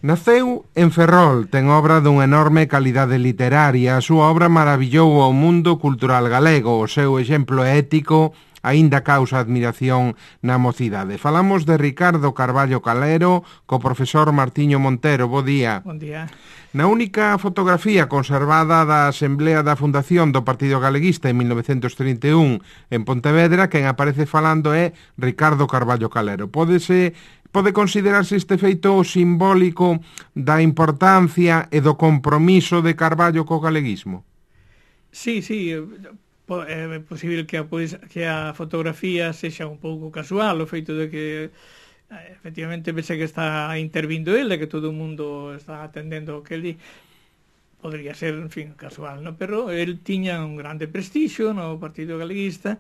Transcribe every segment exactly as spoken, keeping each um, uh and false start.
Naceu en Ferrol, ten obra dunha enorme calidade literaria, a súa obra maravillou ao mundo cultural galego, o seu exemplo ético aínda causa admiración na mocidade. Falamos de Ricardo Carballo Calero co profesor Martiño Montero. Bo día. Bon día. Na única fotografía conservada da Asamblea da Fundación do Partido Galeguista en mil novecentos trinta e un en Pontevedra, quen aparece falando é Ricardo Carballo Calero. Pódese Pode considerarse este feito simbólico da importancia e do compromiso de Carballo co galeguismo? Sí, sí, é posible que a, pois, que a fotografía sexa un pouco casual, o feito de que efectivamente pense que está intervindo ele, que todo o mundo está atendendo o que ele podría ser, en fin, casual, no? Pero el tiña un grande prestixio no Partido Galeguista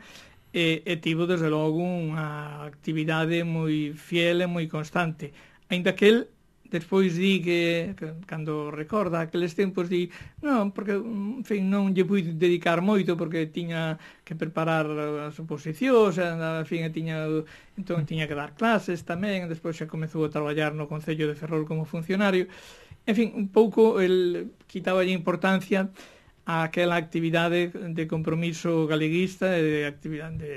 e, e tivo, desde logo, unha actividade moi fiel e moi constante. Ainda que el, despois di que, que cando recorda aqueles tempos, di, non, porque, en fin, non lle pude dedicar moito, porque tiña que preparar as oposicións, en fin, e tiña, entón tiña que dar clases tamén, despois xa comezou a traballar no Concello de Ferrol como funcionario. En fin, un pouco, el quitaba a importancia a aquela actividade de compromiso galeguista e de actividade de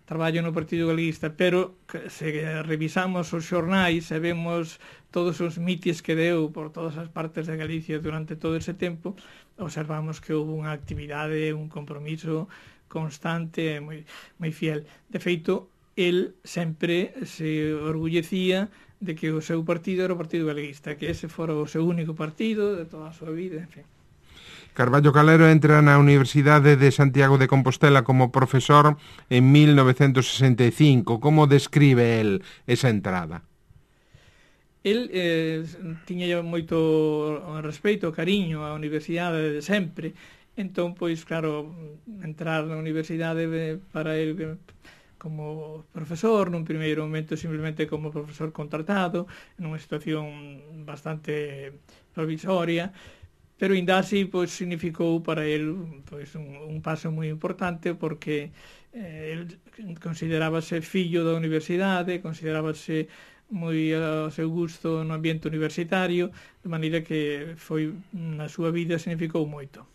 traballo no Partido Galeguista, pero se revisamos os xornais e vemos todos os mitis que deu por todas as partes de Galicia durante todo ese tempo, observamos que houve unha actividade, un compromiso constante e moi, moi fiel. De feito, el sempre se orgullecía de que o seu partido era o Partido Galeguista, que ese fora o seu único partido de toda a súa vida, en fin. Carballo Calero entra na Universidade de Santiago de Compostela como profesor en mil novecentos sesenta e cinco. Como describe el esa entrada? El eh, tiña moito respeito, cariño á universidade de sempre. Entón, pois, claro, entrar na universidade para el como profesor, nun primeiro momento simplemente como profesor contratado, nunha situación bastante provisoria, pero ainda así pois, significou para el pois, un, un paso moi importante, porque eh, el considerábase fillo da universidade, considerábase moi ao seu gusto no ambiente universitario, de maneira que foi na súa vida significou moito.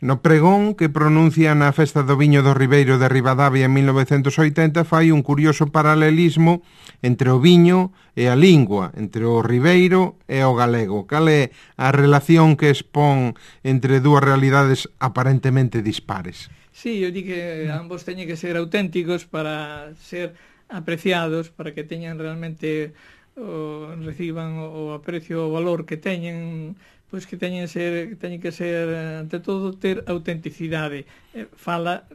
No pregón que pronuncia na Festa do Viño do Ribeiro de Ribadavia en mil novecentos oitenta fai un curioso paralelismo entre o viño e a lingua, entre o ribeiro e o galego. Cal é a relación que expón entre dúas realidades aparentemente dispares? Sí, eu di que ambos teñen que ser auténticos para ser apreciados, para que teñan realmente o, reciban o aprecio, o valor que teñen, pois que teñen ser, teñen que ser, ante todo, ter autenticidade. Fala,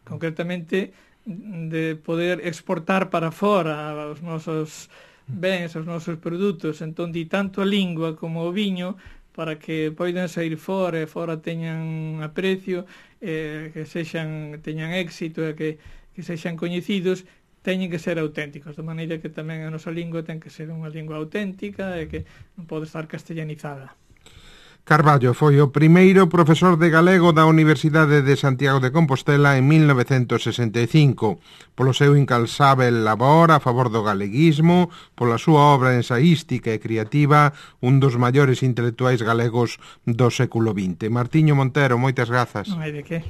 concretamente, de poder exportar para fora os nosos bens, os nosos produtos. Entón, di tanto a lingua como o viño, para que poidan sair fora e fora teñan aprecio, eh, que sexan, teñan éxito e que, que sexan coñecidos, teñen que ser auténticos, de maneira que tamén a nosa lingua ten que ser unha lingua auténtica e que non pode estar castellanizada. Carballo foi o primeiro profesor de galego da Universidade de Santiago de Compostela en mil novecentos sesenta e cinco, polo seu incansável labor a favor do galeguismo, pola súa obra ensaística e creativa, un dos maiores intelectuais galegos do século vinte. Martiño Montero, moitas grazas. Non hai de que.